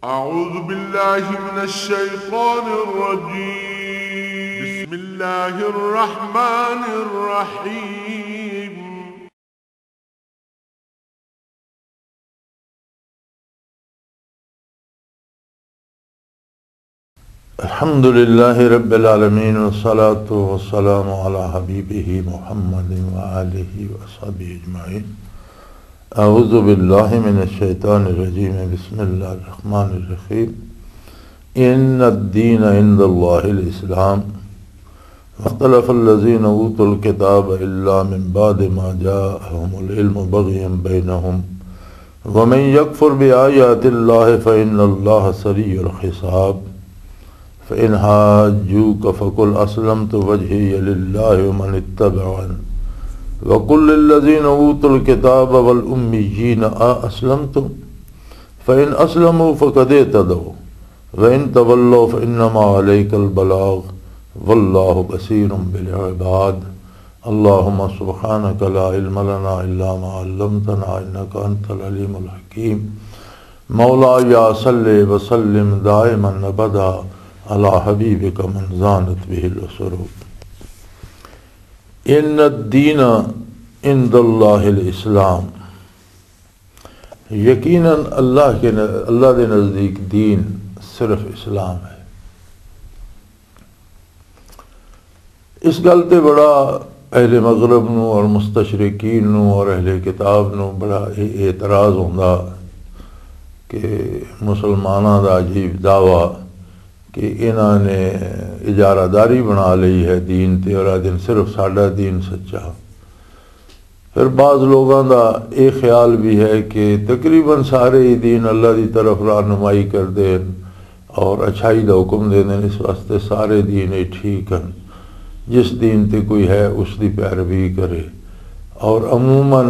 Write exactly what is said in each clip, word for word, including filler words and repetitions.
أعوذ بالله من الشيطان الرجيم. بسم الله الرحمن الرحيم. الحمد لله رب العالمين، والصلاة والسلام على حبيبه محمد وآله وصحبه أجمعين. أعوذ بالله من الشيطان الرجيم. بسم الله الرحمن الرحيم. إن الدين عند الله الإسلام. واختلف الذين أوتوا الكتاب إلا من بعد ما جاءهم العلم بغيا بينهم ومن يكفر بآيات الله فإن الله سريع الحساب. فإن حاجوك فقل أسلمت وجهي لله ومن اتبعن وقل للذين أوتوا الكتاب والأميين أأسلمتم؟ فإن أسلموا فقد اهتدوا وإن تولوا فإنما عليك البلاغ والله بصير بالعباد. اللهم سبحانك لا علم لنا إلا ما علمتنا إنك أنت العليم الحكيم. مولاي صل وسلم دائما أبدا على حبيبك من زانت به العروق. إن الدين عند الله الإسلام. یقیناً اللہ کے ن-، اللہ دے نزدیک دین صرف اسلام ہے۔ اس گل تے بڑا اہل مغرب نو اور مستشرقین نو اور اہل کتاب نو بڑا اے-، اعتراض ہوندا کہ مسلماناں دا عجیب دعویٰ کہ انہاں نے اجارہ داری بنا لئی ہے دین تے، اور آ دن صرف ساڈا دین سچا۔ پھر بعض لوگاں دا اے خیال بھی ہے کہ تقریباً سارے ہی دین اللہ دی طرف رہنمائی کردے ہن اور اچھائی دا حکم دیندے ہن، اس واسطے سارے دین ہی ٹھیک ہن۔ جس دین تے کوئی ہے، اس دی پیروی کرے۔ اور عموماً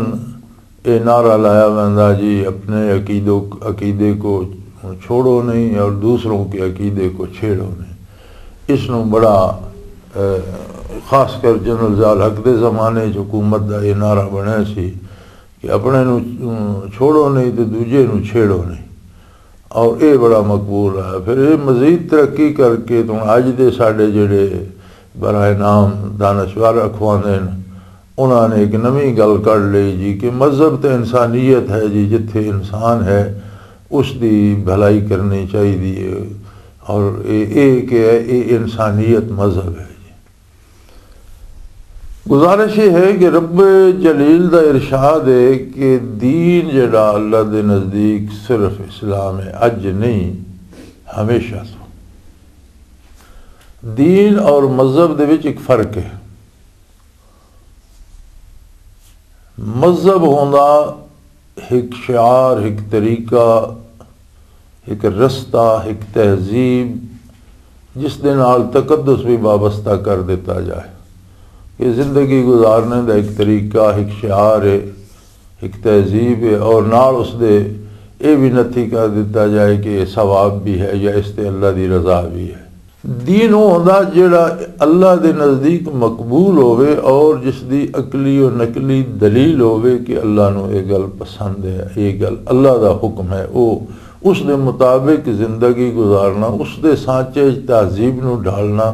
اے نعرہ لایا ویندا جی، اپنے عقیدوں، عقیدے کو چھوڑو نہیں اور دوسروں کے عقیدے کو چھیڑو نہیں۔ اس نوں بڑا، اے، خاص کر جنرل ضیاء الحق دے زمانے چ حکومت دا اے نعرہ بنیا سی کہ اپنے نوں، اے، چھوڑو نہیں تے دوجے نوں چھیڑو نہیں۔ اور اے بڑا مقبول ہے۔ پھر اے مزید ترقی کر کے تو اج دے ساڈے جڑے برائے نام دانشور اکھواندے نے، انہاں نے ایک نویں گل کڈ لئی جی کہ مذہب تے انسانیت ہے جی، جتھے انسان ہے اس دی بھلائی کرنی چاہیے۔ اور اے، اے کہ ہے، اے انسانیت مذہب ہے جی۔ گزارش یہ ہے کہ رب جلیل دا ارشاد ہے کہ دین جڑا اللہ دے نزدیک صرف اسلام ہے، اج نہیں، ہمیشہ تو۔ دین اور مذہب دے وچ ایک فرق ہے۔ مذہب ہوندا ایک شعار، ایک طریقہ، ایک رستہ، ایک تہذیب، جس دے نال تقدس بھی وابستہ کر دیتا جائے کہ زندگی گزارنے دا ایک طریقہ، ایک شعار ہے، ایک تہذیب ہے، اور نال اس دے اے بھی نتھی کر دیتا جائے کہ یہ ثواب بھی ہے یا اس تے اللہ دی رضا بھی ہے۔ دین وہ ہوندا جڑا اللہ دے نزدیک مقبول ہووے اور جس دی عقلی و نقلی دلیل ہووے کہ اللہ نو اے گل پسند ہے، اے گل اللہ دا حکم ہے، او اس دے مطابق زندگی گزارنا، اس دے سانچے وچ تہذیب نو ڈھالنا،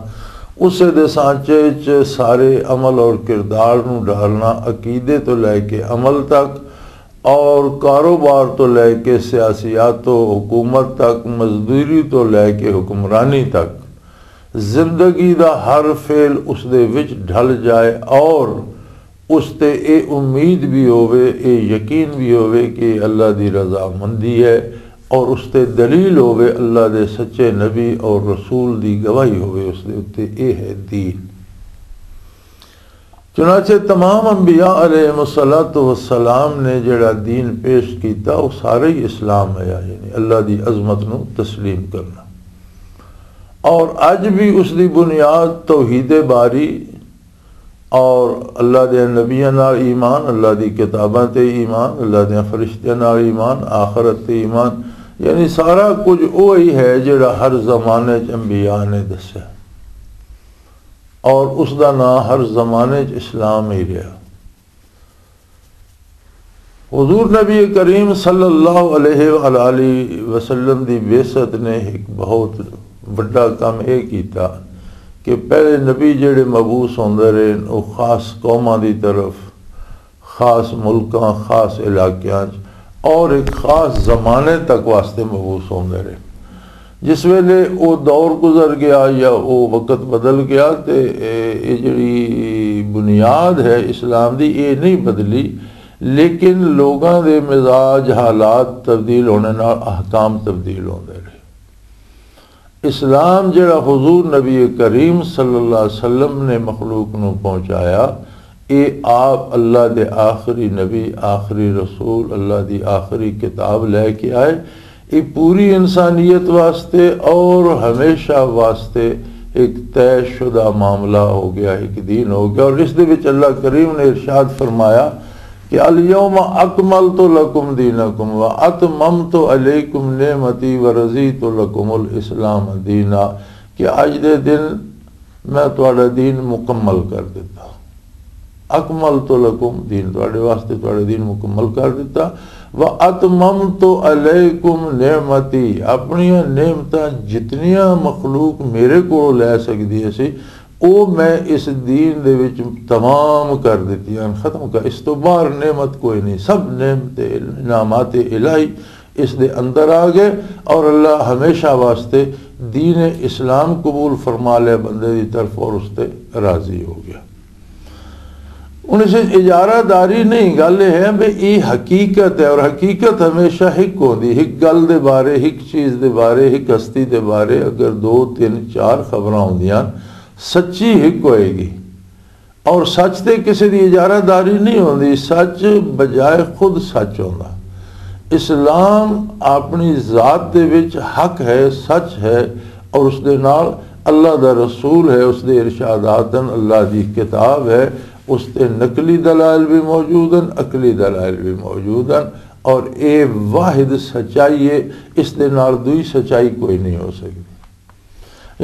اسے دے سانچے وچ سارے عمل اور کردار نو ڈھالنا، عقیدے تو لے کے عمل تک، اور کاروبار تو لے کے سیاسیات و حکومت تک، مزدوری تو لے کے حکمرانی تک، زندگی دا ہر فعل اس دے وچ ڈھل جائے اور اس تے اے امید بھی ہووے، اے یقین بھی ہووے کہ اللہ دی رضامندی ہے اور اس تے دلیل ہووے، اللہ دے سچے نبی اور رسول دی گواہی ہووے اس دے اُتے، اے ہے دین۔ چنانچہ تمام انبیاء علیہ الصلوۃ والسلام نے جڑا دین پیش کیتا، وہ سارا ہی اسلام ہے، یعنی اللہ دی عظمت نو تسلیم کرنا۔ اور اج بھی اس دی بنیاد توحید باری اور اللہ دے نبیاں نال ایمان، اللہ دی کتاباں تے ایمان، اللہ دے فرشتیاں نال ایمان، آخرت تے ایمان، یعنی سارا کچھ وہی ہے جڑا ہر زمانے چ انبیاء نے دسیا۔ اور اس دا نام ہر زمانے چ اسلام ہی رہا۔ حضور نبی کریم صلی اللہ علیہ وآلہ وسلم دی بعثت نے ایک بہت وڈا کام اے کیتا کہ پہلے نبی جڑے مبعوث ہوندے رہے، وہ خاص قوماں دی طرف، خاص ملکاں، خاص علاقیاں چ اور ایک خاص زمانے تک واسطے مبعوث ہوندے رہے۔ جس ویلے وہ دور گزر گیا یا وہ وقت بدل گیا، تے اے، اے جڑی بنیاد ہے اسلام دی، اے نہیں بدلی، لیکن لوگاں دے مزاج، حالات تبدیل ہونے نال احکام تبدیل ہوندے رہے۔ اسلام جڑا حضور نبی کریم صلی اللہ علیہ وسلم نے مخلوق نو پہنچایا، اے آپ اللہ دے آخری نبی، آخری رسول، اللہ دی آخری کتاب لے کے آئے۔ اے پوری انسانیت واسطے اور ہمیشہ واسطے ایک طے شدہ معاملہ ہو گیا، ایک دین ہو گیا۔ اور اس دے وچ اللہ کریم نے ارشاد فرمایا کہ الیوم اکملت لکم دینکم و اتممت علیکم نعمتی و رضیت لکم الاسلام دینا، کہ اج دے دن میں تہاڈا دین مکمل کر دتا۔ اکملت لکم دین، تہاڈے واسطے تہاڈا دین مکمل کر دتا۔ و اتممت علیکم نعمتی، اپنیاں نعمتاں جتنیاں مخلوق میرے کولوں لے سکدی سی، او میں اس دین دے وچ تمام کر دتیاں، ختم کر، اس تو باہر نعمت کوئی نہیں، سب نعمت انعامات الہی اس دے اندر آ گئے، اور اللہ ہمیشہ واسطے دین اسلام قبول فرما لیا بندے دی طرف اور اس تے راضی ہو گیا۔ ہن اس وچ اجارہ داری نہیں، گل یہ ہے بھی یہ حقیقت ہے، اور حقیقت ہمیشہ ہک ہوندی، ہک گل دے بارے، ہک چیز دے بارے، ہک ہستی دے بارے اگر دو، تین، چار خبراں ہوندیاں، سچی ہک ہوئے گی۔ اور سچ تے کسی دی اجارہ داری نہیں ہوندی، سچ بجائے خود سچ ہوندا۔ اسلام اپنی ذات دے وچ حق ہے، سچ ہے، اور اس دے نال اللہ دا رسول ہے، اس دے ارشادات ہیں، اللہ دی کتاب ہے، اس تے نقلی دلائل بھی موجود ہیں، عقلی دلائل بھی موجود ہیں، اور اے واحد سچائی ہے، اس دے نال دوئی سچائی کوئی نہیں ہو سکتی۔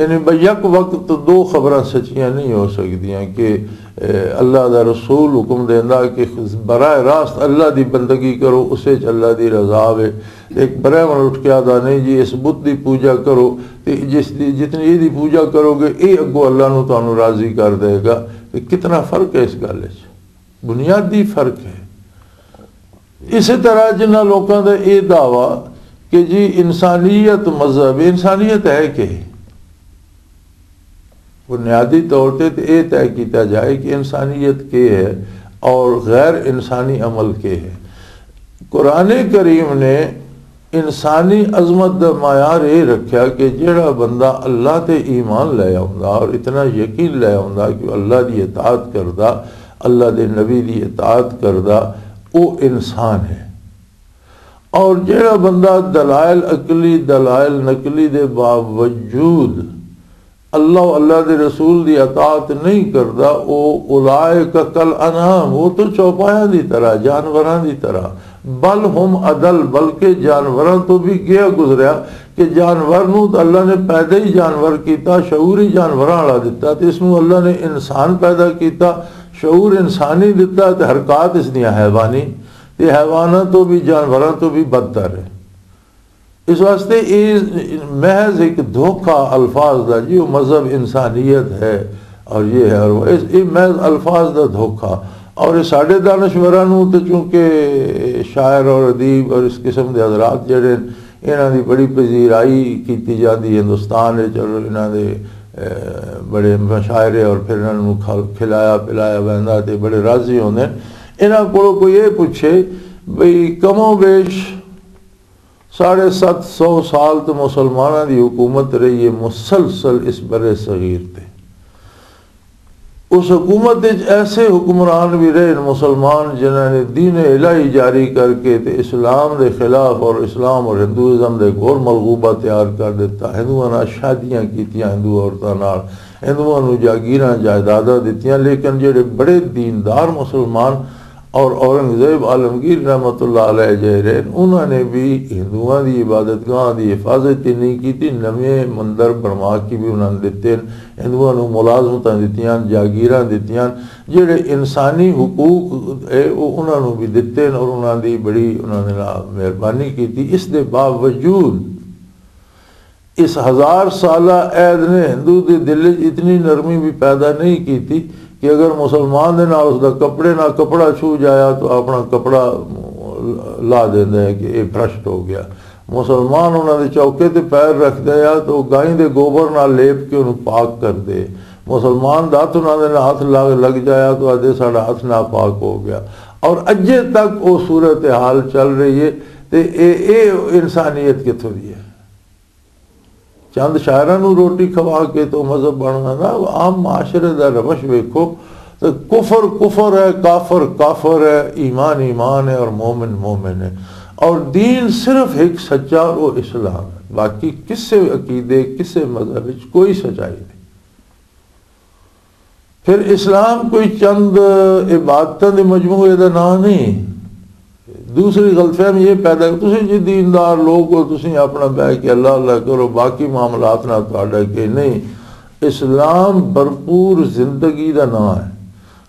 یعنی بھئی یک وقت تو دو خبراں سچیاں نہیں ہو سکدیاں کہ، اے، اللہ دا رسول حکم دیندا کہ براہ راست اللہ دی بندگی کرو، اسے چ اللہ دی رضا وے۔ ایک براہمن اٹھ کے آدھا، "نہیں جی، اس بت دی پوجا کرو، تے جس دی، جتنی یہ دی پوجا کرو گے، یہ اگوں اللہ نو تانوں راضی کر دے گا۔" تے کتنا فرق ہے اس گل وچ، بنیادی فرق ہے۔ اسی طرح جنہاں لوکاں دا یہ دعویٰ کہ جی انسانیت مذہب، انسانیت ہے کہ بنیادی طور تے تے یہ طے کیتا جائے کہ انسانیت کے ہے اور غیر انسانی عمل کے ہے۔ قرآن کریم نے انسانی عظمت دا معیار یہ رکھیا کہ جڑا بندہ اللہ تے ایمان لے آوندا اور اتنا یقین لے آوندا کہ وہ اللہ دی اطاعت کردا، اللہ دے نبی دی اطاعت کردا، وہ انسان ہے۔ اور جڑا بندہ دلائل عقلی، دلائل نقلی دے باوجود اللہ و اللہ دے رسول دی اطاعت نہیں کردا، او اولائک کل انعام، وہ تو چوپایاں دی طرح، جانوراں دی طرح، بل ہم ادل، بلکہ جانوراں تو بھی گیا گزریا، کہ جانور نو تو اللہ نے پیدا ہی جانور کیتا، شعور ہی جانوراں والا دتا، تے اس نو اللہ نے انسان پیدا کیتا، شعور انسانی دتا، تے حرکات اس دیاں حیوانی، تے حیواناں تو بھی، جانوراں تو بھی بدتر ہے۔ اس واسطے یہ محض ایک دھوکا الفاظ دا، جی وہ مذہب انسانیت ہے اور یہ ہے اور وہ، اس، یہ محض الفاظ دا دھوکا۔ اور یہ ساڈے دانشوراں نوں تے چونکہ شاعر اور ادیب اور اس قسم دے حضرات جڑے ہیں، انہاں دی بڑی پذیرائی کیتی جاندی ہندوستان وچ، اور انہاں دے، اے، بڑے مشاعرے اور پھر انہاں نوں کھل-، کھلایا پلایا ویندا تے بڑے راضی ہوندے ہیں۔ انہاں کولوں کوئی یہ پوچھے بھئی کم و بیش ساڑھے ست سو سال تو مسلماناں دی حکومت رہی ہے مسلسل اس بر صغیر تے۔ اس حکومت وچ ایسے حکمران بھی رہے مسلمان جنہاں نے دین الہی جاری کر کے تے اسلام دے خلاف اور اسلام اور ہندوازم دے گھور ملغوبہ تیار کر دیتا۔ ہندوؤں نال شادیاں کیتیاں، ہندو عورتاں نال، ہندوؤں نوں جاگیراں جائیداداں دتیاں، لیکن جڑے بڑے دیندار مسلمان اور اورنگزیب عالمگیر رحمۃ اللہ علیہ جہے رہے، انہاں نے بھی ہندوؤں دی عبادت گاہ دی حفاظت ہی نہیں کی تھی، نویں مندر بنوا کے بھی انہاں نے دتے۔ ہندوؤں نوں ملازمتاں دتیاں، جاگیراں دتیاں، جڑے انسانی حقوق ہے وہ انہاں نوں بھی دتے اور انہاں دی بڑی انہاں نے نال مہربانی کی تھی۔ اس دے باوجود اس ہزار سالہ عہد نے ہندو دے دل وچ اتنی نرمی بھی پیدا نہیں کیتی کہ اگر مسلمان دے نال اس دا کپڑے نال کپڑا چھو جایا تو اپنا کپڑا لا دیندا ہے کہ یہ بھرشٹ ہو گیا۔ مسلمان انہاں دے چوکے تے پیر رکھدا ہے تو گائیں دے گوبر نال لیپ کے انہوں پاک کر دے۔ مسلمان دا ہاتھ انہاں دے نال ہاتھ لگ لگ جایا تو آدھے ساڈا ہاتھ ناپاک ہو گیا۔ اور اجے تک وہ صورتحال چل رہی ہے۔ تے اے اے انسانیت کتھوں دی ہے؟ چند شاعراں نوں روٹی کھوا کے تو مذہب بننا نا۔ عام معاشرے دا روش ویکھو تے کفر کفر ہے، کافر کافر ہے، ایمان ایمان ہے اور مومن مومن ہے۔ اور دین صرف ایک سچا اور وہ اسلام ہے، باقی کسے عقیدے، کسے مذہب وچ کوئی سچائی نہیں۔ پھر اسلام کوئی چند عبادتاں دے مجموعے دا نام نہیں۔ دوسری غلط فہمی یہ پیدا کہ تسی جی دیندار لوگ ہو، تسی اپنا بہ کے اللہ اللہ کرو، باقی معاملات نہ تہاڈا کہ نہیں۔ اسلام بھرپور زندگی دا نام ہے۔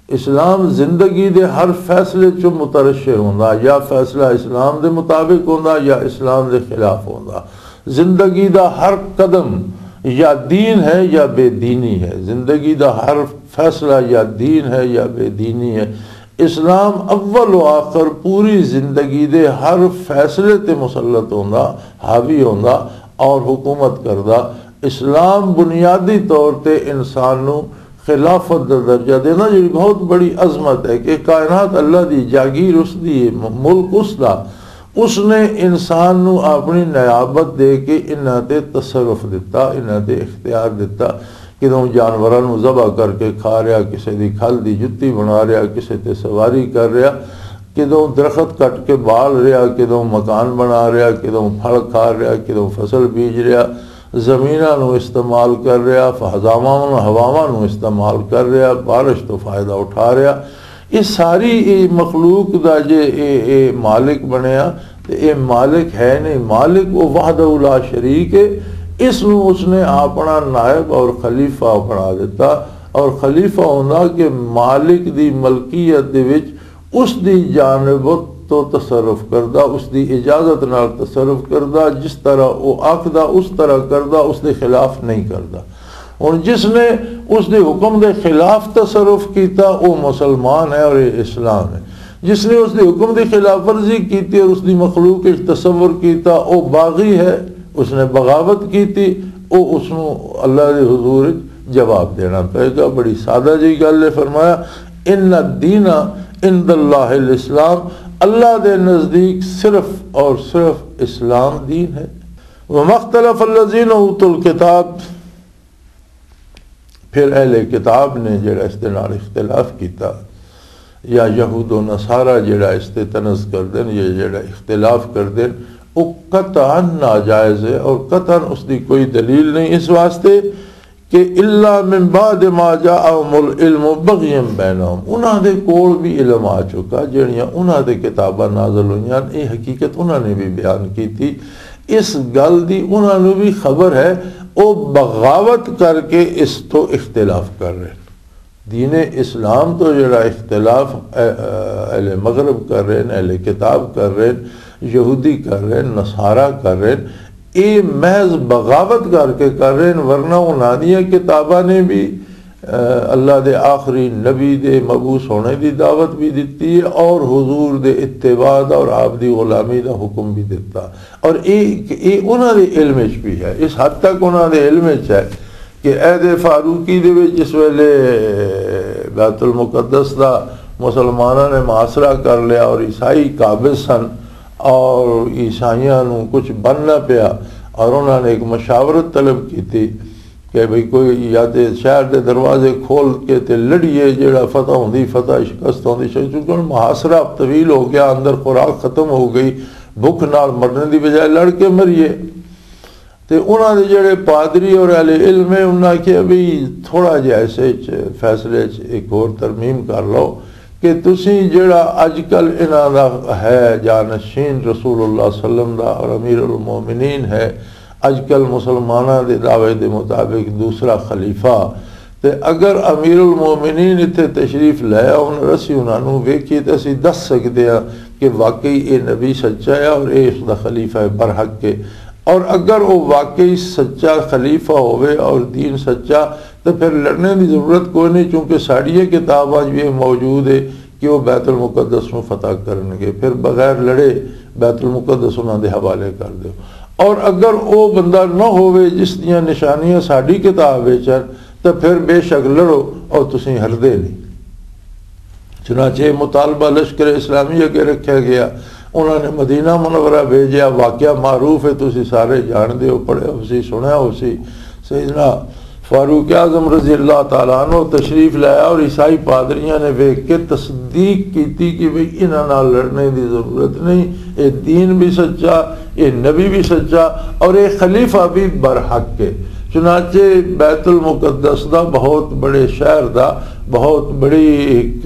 اسلام زندگی دے ہر فیصلے چوں مترشح ہوندا، یا فیصلہ اسلام دے مطابق ہوندا یا اسلام دے خلاف ہوندا۔ زندگی دا ہر قدم یا دین ہے یا بے دینی ہے، زندگی دا ہر فیصلہ یا دین ہے یا بے دینی ہے۔ اسلام اول و آخر پوری زندگی دے ہر فیصلے تے مسلط ہوندا، حاوی ہوندا اور حکومت کردا۔ اسلام بنیادی طور تے انسان نو خلافت دا درجہ دینا، جڑی بہت بڑی عظمت ہے کہ کائنات اللہ دی جاگیر اس دی، ملک اس دا، اس نے انسان نو اپنی نیابت دے کے انہاں تے تصرف دتا، انہاں تے اختیار دتا۔ کدوں جانوراں نو ذبح کر کے کھا رہیا، کسے دی کھل دی جتی بنا رہیا، کسے تے سواری کر رہیا، کدوں درخت کٹ کے بال رہیا، کدوں مکان بنا رہیا، کدوں پھل کھا رہیا، کدوں فصل بیج رہیا، زمیناں نو استعمال کر رہیا، فضاواں نو، ہواواں نو استعمال کر رہیا، بارش تو فائدہ اٹھا رہیا۔ یہ ساری یہ مخلوق دا جے اے، اے مالک بنیا، تے اے مالک ہے نہیں، مالک وہ وحدہ لا شریک ہے۔ اس نو اس نے اپنا نائب اور خلیفہ بنا دیتا، اور خلیفہ ہوندا کہ مالک دی ملکیت دے وچ اس دی جانب تو تصرف کردا، اس دی اجازت نال تصرف کردا، جس طرح وہ آکھدا اس طرح کردا، اس دے خلاف نہیں کردا۔ ہن جس نے اس دے حکم دے خلاف تصرف کیتا، وہ مسلمان ہے اور یہ اسلام ہے۔ جس نے اس دے حکم دی خلاف ورزی کیتی اور اس دی مخلوق وچ تصور کیتا، وہ باغی ہے، اس نے بغاوت کیتی، وہ اس نو اللہ دے حضور وچ جواب دینا پئے گا۔ بڑی سادہ جی گل ہے، فرمایا، "ان الدین عند اللہ الاسلام"، اللہ دے نزدیک صرف اور صرف اسلام دین ہے۔ "وما اختلف الذین اوتوا الکتاب"، پھر اہل کتاب نے جڑا اس دے نال اختلاف کیتا، یا یہود و نصارہ جڑا اس تے طنز کر دین، یہ جڑا اختلاف کر دین، وہ قطعاً ناجائز ہے اور قطعاً اس دی کوئی دلیل نہیں، اس واسطے کہ الا من بعد ما جاءهم العلم بغیا بینهم، انہاں دے کول بھی علم آ چکا، جڑیاں انہاں دے کتاباں نازل ہوئیاں، یہ حقیقت انہاں نے بھی بیان کی تھی۔ اس گل دی انہاں نوں بھی خبر ہے، او بغاوت کر کے اس تو اختلاف کر رہے ہیں۔ دین اسلام تو جڑا اختلاف اہ-، اہ، اہل مغرب کر رہے ہیں، اہل کتاب کر رہے ہیں، یہودی کر رہے ہیں، نصارہ کر رہے ہیں، اے محض بغاوت کر کے کر رہے ہیں، ورنہ انہاں دیاں کتاباں نے بھی، اہ، اللہ دے آخری نبی دے مبعوث ہونے دی دعوت بھی دتی ہے اور حضور دے اتباع دا اور آپ دی غلامی دا حکم بھی دتا۔ اور اے، اے انہاں دے علم وچ بھی ہے، اس حد تک انہاں دے علم وچ ہے کہ عہد فاروقی دے وچ جس ویلے بیت المقدس دا مسلماناں نے محاصرہ کر لیا اور عیسائی قابض سن اور عیسائیاں نوں کچھ بن نہ پیا، اور انہاں نے ایک مشاورت طلب کیتی کہ بھئی کوئی یا تے شہر دے دروازے کھول کے تے لڑیے، جیڑا فتح ہوندی فتح، شکست ہوندی شکست، کیونکہ ہن محاصرہ طویل ہو گیا، اندر خوراک ختم ہو گئی، بھوک نال مرنے دی بجائے لڑ کے مریے۔ تے انہاں دے جڑے پادری اور اہل علم ہے، انہاں آکھیا بھی تھوڑا جہا اس وچ فیصلے وچ ایک ہور ترمیم کر لو کہ تسی جڑا اج کل انہاں دا ہے جانشین رسول اللہ صلی اللہ علیہ وسلم دا اور امیر المومنین ہے، اج کل مسلماناں دے دعوے دے مطابق دوسرا خلیفہ، تے اگر امیر المومنین اتھے تشریف لے آؤن، اسی انہاں نوں ویکھیے تے اسی دس سکدے ہاں کہ واقعی اے نبی سچا ہے اور اے اس دا خلیفہ برحق ہے۔ اور اگر وہ واقعی سچا خلیفہ ہوئے اور دین سچا، تو پھر لڑنے دی ضرورت کوئی نہیں، چونکہ ساڑیاں کتاباں جو یہ موجود ہے کہ وہ بیت المقدس نو فتح کرنگے، پھر بغیر لڑے بیت المقدس انہاں دے حوالے کر دیو۔ اور اگر وہ بندہ نہ ہوئے جس دیاں نشانیاں ساڑی کتاب وچ ہن، تو پھر بے شک لڑو اور تسیں ہردے نہیں۔ چنانچہ یہ مطالبہ لشکر اسلامی اگے رکھا گیا۔ انہوں نے مدینہ منورہ بھیجیا، واقعہ معروف ہے، تسی سارے جانتے ہو، پڑھے ہو سی، سنیا ہو سی۔ سیدنا فاروق اعظم رضی اللہ تعالیٰ عنہ تشریف لایا اور عیسائی پادریاں نے ویکھ کے تصدیق کیتی کہ بھئی انہاں نال لڑنے دی ضرورت نہیں، اے دین بھی سچا، اے نبی بھی سچا اور اے خلیفہ بھی برحق ہے۔ چنانچہ بیت المقدس دا، بہت بڑے شہر دا، بہت بڑی ایک،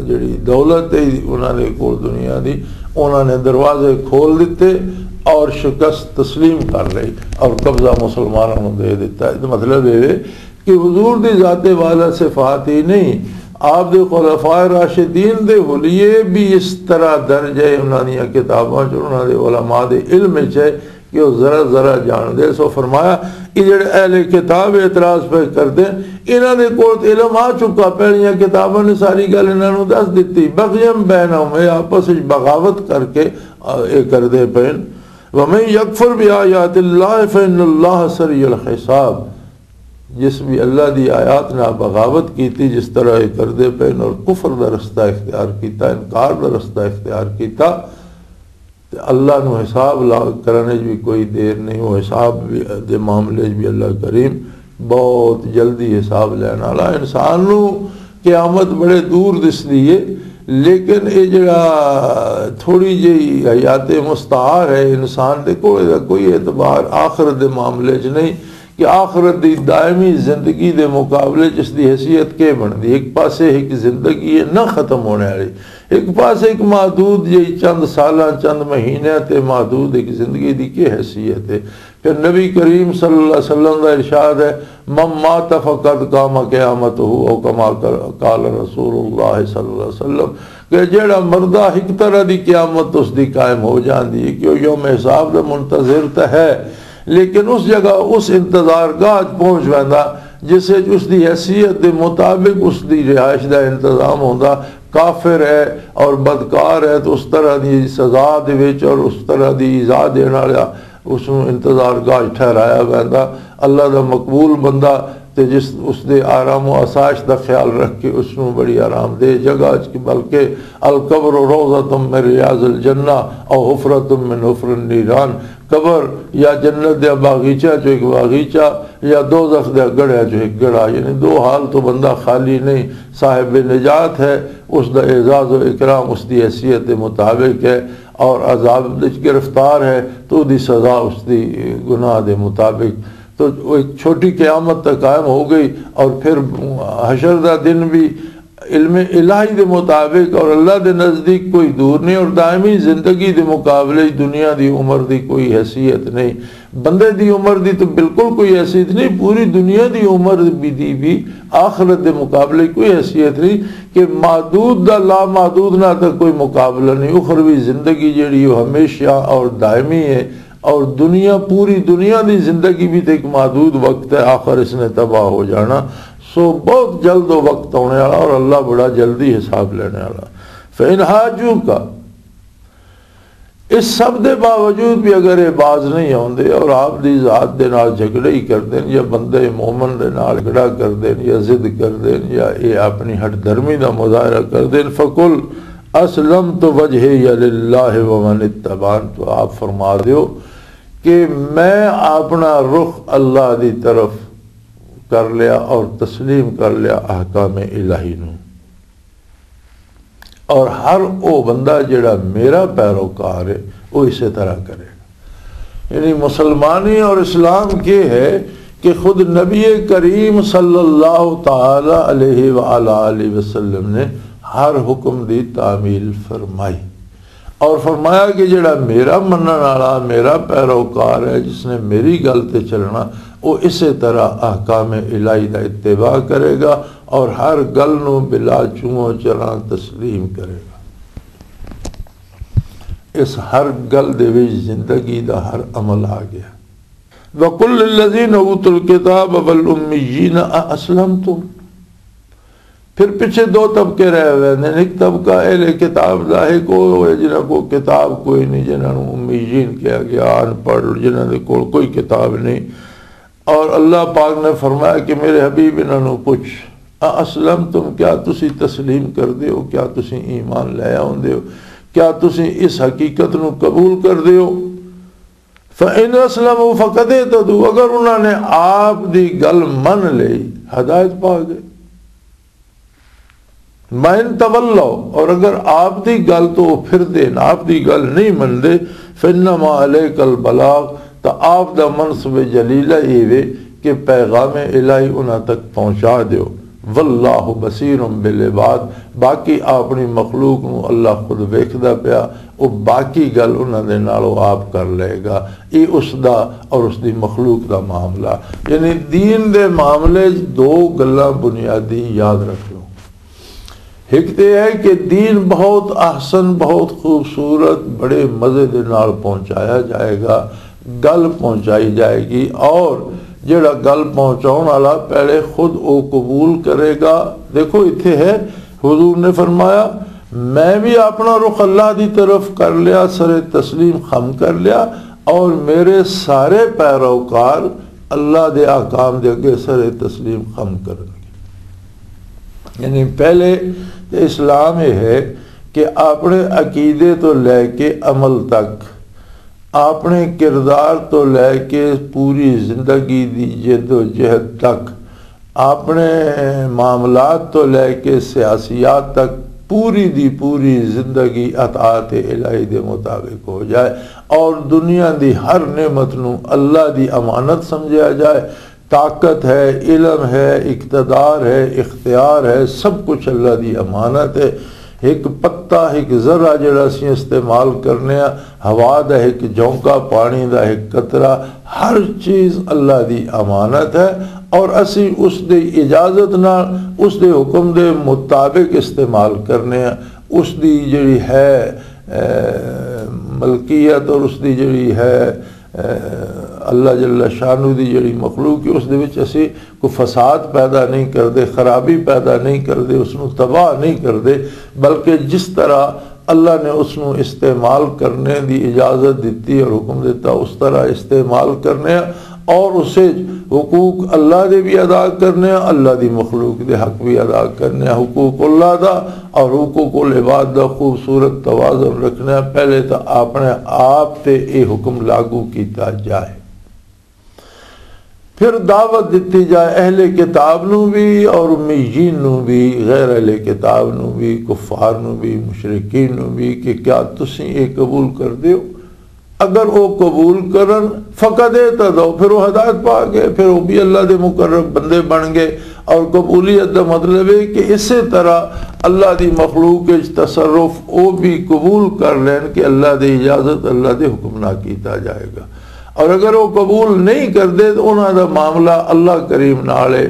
جڑی دولت ہے انہاں دے کول دنیا دی، انہاں نے دروازے کھول دتے اور شکست تسلیم کر لئی اور قبضہ مسلمانوں نوں دے دتا۔ اس دا مطلب یہ ہے کہ حضور دی ذات والا صفات ہی نہیں، آپ دے خلفائے راشدین دے حلیے بھی اس طرح درج ہے انہاں دیاں کتاباں چ، انہاں دے علماء دے علم چ ہے کہ وہ ذرا ذرا جان دے۔ سو فرمایا، یہ جڑے اہل کتاب اعتراض پہ کردے، انہاں دے کول تے علم آ چکا، پہلیاں کتاباں نے ساری گل انہاں نوں دس دتی۔ بغیم بینہم، یہ آپس وچ بغاوت کر کے، آ، یہ کردے پئے۔ ومن یکفر بآیات اللہ فإن اللہ سریع الحساب۔ جس بھی اللہ دی آیات نال بغاوت کیتی، جس طرح یہ کردے پئے اور کفر دا رستہ اختیار کیتا، انکار دا رستہ اختیار کیتا، تے اللہ نو حساب لا کرنے وچ بھی کوئی دیر نہیں، وہ حساب بھی دے معاملے وچ بھی اللہ کریم بہت جلدی حساب لینے والا۔ انسان نو قیامت بڑے دور دسدی ہے، لیکن یہ جڑا تھوڑی جہی حیات مستعار ہے انسان دے کول، دا کوئی اعتبار آخرت دے معاملے چ نہیں کہ آخرت دی دائمی زندگی دے مقابلے چ اس دی حیثیت کے بندی۔ ایک پاسے ایک زندگی ہے نہ ختم ہونے والی، ایک پاسے ایک محدود جہی چند سالاں، چند مہینے تے محدود ایک زندگی دی کی حیثیت ہے؟ پھر نبی کریم صلی اللہ علیہ وسلم دا ارشاد ہے، "من مات فقد قام قیامتہ"، او کما قال رسول اللہ صلی اللہ علیہ وسلم، کہ جیڑا مردہ ایک طرح دی قیامت اس دی قائم ہو جاندی ہے کہ وہ یوم حساب دا منتظر تو ہے، لیکن اس جگہ، اس انتظار گاہ پہنچ ویندا جس وچ اس دی حیثیت دے مطابق اس دی رہائش دا انتظام ہوندا۔ کافر ہے اور بدکار ہے تو اس طرح دی سزا دے وچ اور اس طرح دی ایذا دین والا اس نوں انتظار گاہ ٹھہرایا ویندا۔ اللہ دا مقبول بندہ تے جس اس دے آرام و آسائش دا خیال رکھ کے اس نوں بڑی آرام دہ جگہ اچ، بلکہ القبر روضۃ من ریاض الجنہ او حفرۃ من حفر النیران، قبر یا جنت دے باغیچہ چوں ایک باغیچہ یا دوزخ دے گڑھے چوں ایک گڑھا، یعنی دو حال تو بندہ خالی نہیں۔ صاحب نجات ہے، اس دا اعزاز و اکرام اس دی حیثیت دے مطابق ہے، اور عذاب وچ گرفتار ہے تو دی سزا اس دی گناہ دے مطابق۔ تو وہ ایک چھوٹی قیامت تک قائم ہو گئی، اور پھر حشر دا دن بھی علم الہی دے مطابق اور اللہ دے نزدیک کوئی دور نہیں، اور دائمی زندگی دے مقابلے وچ دنیا دی عمر دی کوئی حیثیت نہیں۔ بندے دی عمر دی تو بالکل کوئی حیثیت نہیں، پوری دنیا دی عمر بھی دی بھی آخرت دے مقابلے کوئی حیثیت نہیں، کہ محدود دا لامحدود نہ تک کوئی مقابلہ نہیں۔ اخروی زندگی جڑی وہ ہمیشہ اور دائمی ہے، اور دنیا، پوری دنیا دی زندگی بھی تو ایک محدود وقت ہے، آخر اس نے تباہ ہو جانا۔ سو بہت جلد وہ وقت آنے والا اور اللہ بڑا جلدی حساب لینے والا۔ فَإِنْ حَاجُّوكَ، اس سب دے باوجود بھی اگر یہ باز نہیں آوندے اور آپ دی ذات دے نال جھگڑے ہی کردے یا بندے مومن دے نال جھگڑا کردے یا ضد کردے یا یہ اپنی ہٹ دھرمی دا مظاہرہ کردے، فَقُلْ أَسْلَمْتُ وَجْهِيَ لِلَّهِ وَمَنِ اتَّبَعَنِ، تو آپ فرما دیو کہ میں اپنا رخ اللہ دی طرف کر لیا اور تسلیم کر لیا احکام الہی نو۔ اور ہر او بندہ جڑا میرا پیروکار ہے، وہ اسے طرح کرے۔ یعنی مسلمانی اور اسلام کے ہے کہ خود نبی کریم صلی اللہ تعالی علیہ وآلہ وسلم نے ہر حکم دی تعمیل فرمائی۔ اور فرمایا کہ جڑا میرا منن والا، میرا پیروکار ہے، جس نے میری گل تے چلنا، وہ اسے طرح احکام الہی دا اتباع کرے گا اور ہر گل نو بلا چوہوں چراں تسلیم کرے گا۔ اس ہر گل دے وچ زندگی دا ہر عمل آ گیا۔ وَقُلْ لِلَّذِينَ أُوتُوا الْكِتَابَ وَالْأُمِّيِّينَ أَأَسْلَمْتُمْ۔ پھر پچھے دو طبقے رہ ہوئے ہیں۔ ایک طبقہ اہل کتاب دا ہے، کوئی ہوئے جنہاں کو کتاب کوئی نہیں، جنہاں نوں امیین کہا گیا، ان پڑھ، جنہاں دے کول کوئی کتاب نہیں۔ اور اللہ پاک نے فرمایا کہ میرے حبیب، انہاں نوں پوچھ، اسلم تم، کیا تسی تسلیم کر دیو؟ کیا تسی ایمان لے آؤندے ہو؟ کیا تسی اس حقیقت نوں قبول کر دیو؟ فَإِنْ أَسْلَمُوا فَقَدْ اهْتَدَوْا، اگر انہاں نے آپ دی گل من لئی، ہدایت پا گئے۔ وَإِنْ تَوَلَّوْا، اور اگر آپ دی گل تو وہ پھر دین، آپ دی گل نہیں من دے، فَإِنَّمَا عَلَيْكَ الْبَلَاغُ، تو آپ دا منصب جلیلہ یہ وے کہ پیغام الہی انہاں تک پہنچا دیو۔ وَاللَّهُ بَصِيرٌ بِالْعِبَادِ، باقی اپنی مخلوق نو اللہ خود ویکھدا پیا، او باقی گل انہاں دے نال او آپ کر لے گا۔ یہ اس دا اور اس دی مخلوق دا معاملہ۔ یعنی دین دے معاملے چ دو گلاں بنیادی یاد رکھ لو۔ ایک تے ہے کہ دین بہت احسن، بہت خوبصورت، بڑے مزے دے نال پہنچایا جائے گا، گل پہنچائی جائے گی، اور جڑا گل پہنچاؤن والا پہلے خود او قبول کرے گا۔ دیکھو، اتھے ہے، حضور نے فرمایا، میں بھی اپنا رخ اللہ دی طرف کر لیا، سر تسلیم خم کر لیا، اور میرے سارے پیروکار اللہ دے احکام دے اگے سر تسلیم خم کرن گے۔ یعنی پہلے تے اسلام یہ ہے کہ اپنے عقیدے تو لے کے عمل تک، اپنے کردار تو لے کے پوری زندگی دی جد و جہد تک، اپنے معاملات تو لے کے سیاسیات تک، پوری دی پوری زندگی اطاعت الہی دے مطابق ہو جائے، اور دنیا دی ہر نعمت نو اللہ دی امانت سمجھا جائے۔ طاقت ہے، علم ہے، اقتدار ہے، اختیار ہے، سب کچھ اللہ دی امانت ہے۔ ایک پتا، ایک ذرہ جڑا اسی استعمال کرنے ہاں، ہوا دا ایک جھونکا، پانی دا ایک قطرہ، ہر چیز اللہ دی امانت ہے، اور اسی اس دی اجازت نال، اس دے حکم دے مطابق استعمال کرنے ہاں۔ اس دی جڑی ہے، اے، ملکیت اور اس دی جڑی ہے، اے، اللہ جل شانہ دی جڑی مخلوق ہے، اس دے وچ اسی کوئی فساد پیدا نہیں کردے، خرابی پیدا نہیں کردے، اس نوں تباہ نہیں کردے، بلکہ جس طرح اللہ نے اس نوں استعمال کرنے دی اجازت دتی اور حکم دیتا، اس طرح استعمال کرنے ہاں، اور اسے حقوق اللہ دے بھی ادا کرنے ہاں، اللہ دی مخلوق دے حق بھی ادا کرنے ہاں، حقوق اللہ دا اور حقوق العباد دا خوبصورت توازن رکھنے ہاں۔ پہلے تو اپنے آپ تے یہ حکم لاگو کیتا جائے۔ پھر دعوت دتی جائے اہل کتاب نو بھی اور امیین نو بھی، غیر اہل کتاب نو بھی، کفار نو بھی، مشرکین نو بھی، کہ کیا تسی یہ قبول کر دیو؟ اگر وہ قبول کرن، فقد اہتدوا، پھر وہ ہدایت پا گئے، پھر وہ بھی اللہ دے مقرب بندے بن گئے۔ اور قبولیت دا مطلب ہے کہ اسی طرح اللہ دی مخلوق وچ تصرف وہ بھی قبول کر لین کہ اللہ دی اجازت، اللہ دے حکم نہ کیتا جائے گا۔ اور اگر وہ قبول نہیں کردے تو انہاں دا معاملہ اللہ کریم نال ہے۔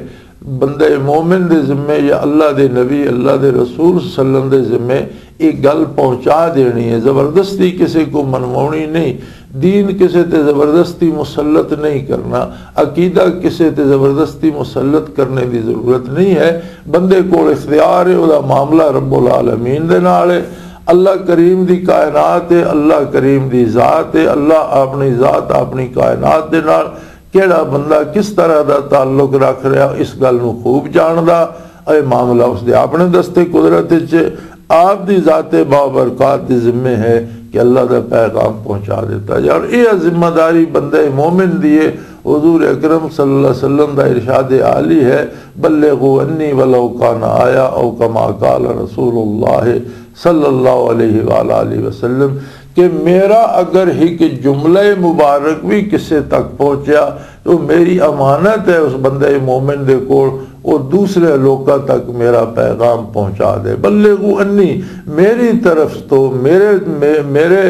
بندہ مومن دے ذمے یا اللہ دے نبی، اللہ دے رسول صلی اللہ علیہ وسلم دے ذمے یہ گل پہنچا دینی ہے۔ زبردستی کسے کو منواؤنی نہیں، دین کسے تے زبردستی مسلط نہیں کرنا، عقیدہ کسے تے زبردستی مسلط کرنے دی ضرورت نہیں ہے۔ بندے کول اختیار ہے، او دا معاملہ رب العالمین دے نال ہے۔ اللہ کریم دی کائنات ہے، اللہ کریم دی ذات ہے، اللہ اپنی ذات، اپنی کائنات دے نال کیڑا بندہ کس طرح دا تعلق رکھ رہا، اس گل نو خوب جاندا۔ اے معاملہ اس دے اپنے دستے قدرت وچ، آپ دی ذات بابرکات دے ذمے ہے کہ اللہ دا پیغام پہنچا دیتا جائے۔ اور یہ ذمہ داری بندہ مومن دی ہے۔ حضور اکرم صلی اللہ علیہ وسلم دا ارشاد عالی ہے، بلغوا عنی ولو کان آیا، او کما قال رسول اللہ صلی اللہ علیہ وآلہ وسلم، کہ میرا اگر ایک جملہ مبارک بھی کسے تک پہنچیا تو میری امانت ہے اس بندے مومن دے کول اور دوسرے لوکاں تک میرا پیغام پہنچا دے۔ بلغوا انی، میری طرف تو، میرے، مے-، میرے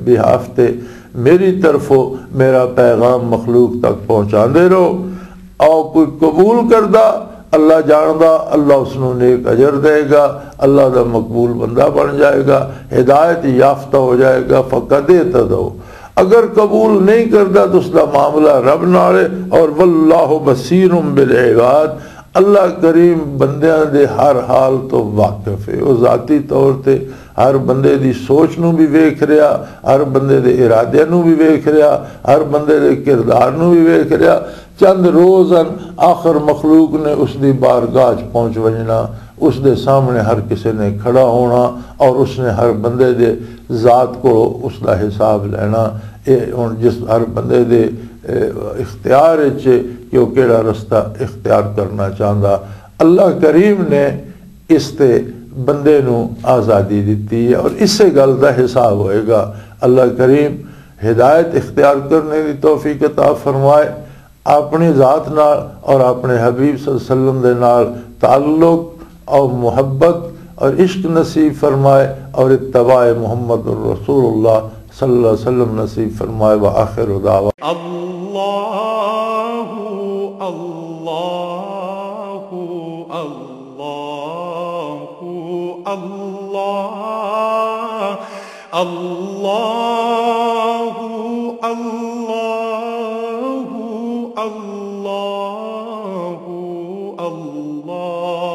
بہاف تے، میری طرفوں میرا پیغام مخلوق تک پہنچاندے رہو۔ او کوئی قبول کردا، اللہ جاندا، اللہ اس نوں نیک اجر دے گا، اللہ دا مقبول بندہ بن جائے گا، ہدایت یافتہ ہو جائے گا۔ فقد اہتدوا، اگر قبول نہیں کردا تو اس دا معاملہ رب نال ہے، اور واللہ بصیر بالعباد، اللہ کریم بندیاں دے ہر حال تو واقف ہے۔ وہ ذاتی طور تے ہر بندے دی سوچ نوں بھی ویکھ رہیا، ہر بندے دے ارادے نوں بھی ویکھ رہیا، ہر بندے دے کردار نوں بھی ویکھ رہیا۔ چند روز ہن، آخر مخلوق نے اس دی بارگاہ چ پہنچ وجنا، اس دے سامنے ہر کسے نے کھڑا ہونا اور اس نے ہر بندے دے ذات کو اس دا حساب لینا۔ اے ہن جس ہر بندے دے، اے، اختیار وچ کہ وہ کیڑا رستہ اختیار کرنا چاہندا۔ اللہ کریم نے اس تے بندے نو آزادی دتی ہے اور اسے گل دا حساب ہوئے گا۔ اللہ کریم ہدایت اختیار کرنے دی توفیق عطا فرمائے۔ اپنی ذات نال اور اپنے حبیب صلی اللہ علیہ وسلم دے نال تعلق اور محبت اور عشق نصیب فرمائے اور اتباع محمد الرسول اللہ صلی اللہ علیہ وسلم نصیب فرمائے۔ وآخر دعوانا اللہ، اللہ، اللہ، اللہ، اللہ، اللہ، اللہ، اللہ۔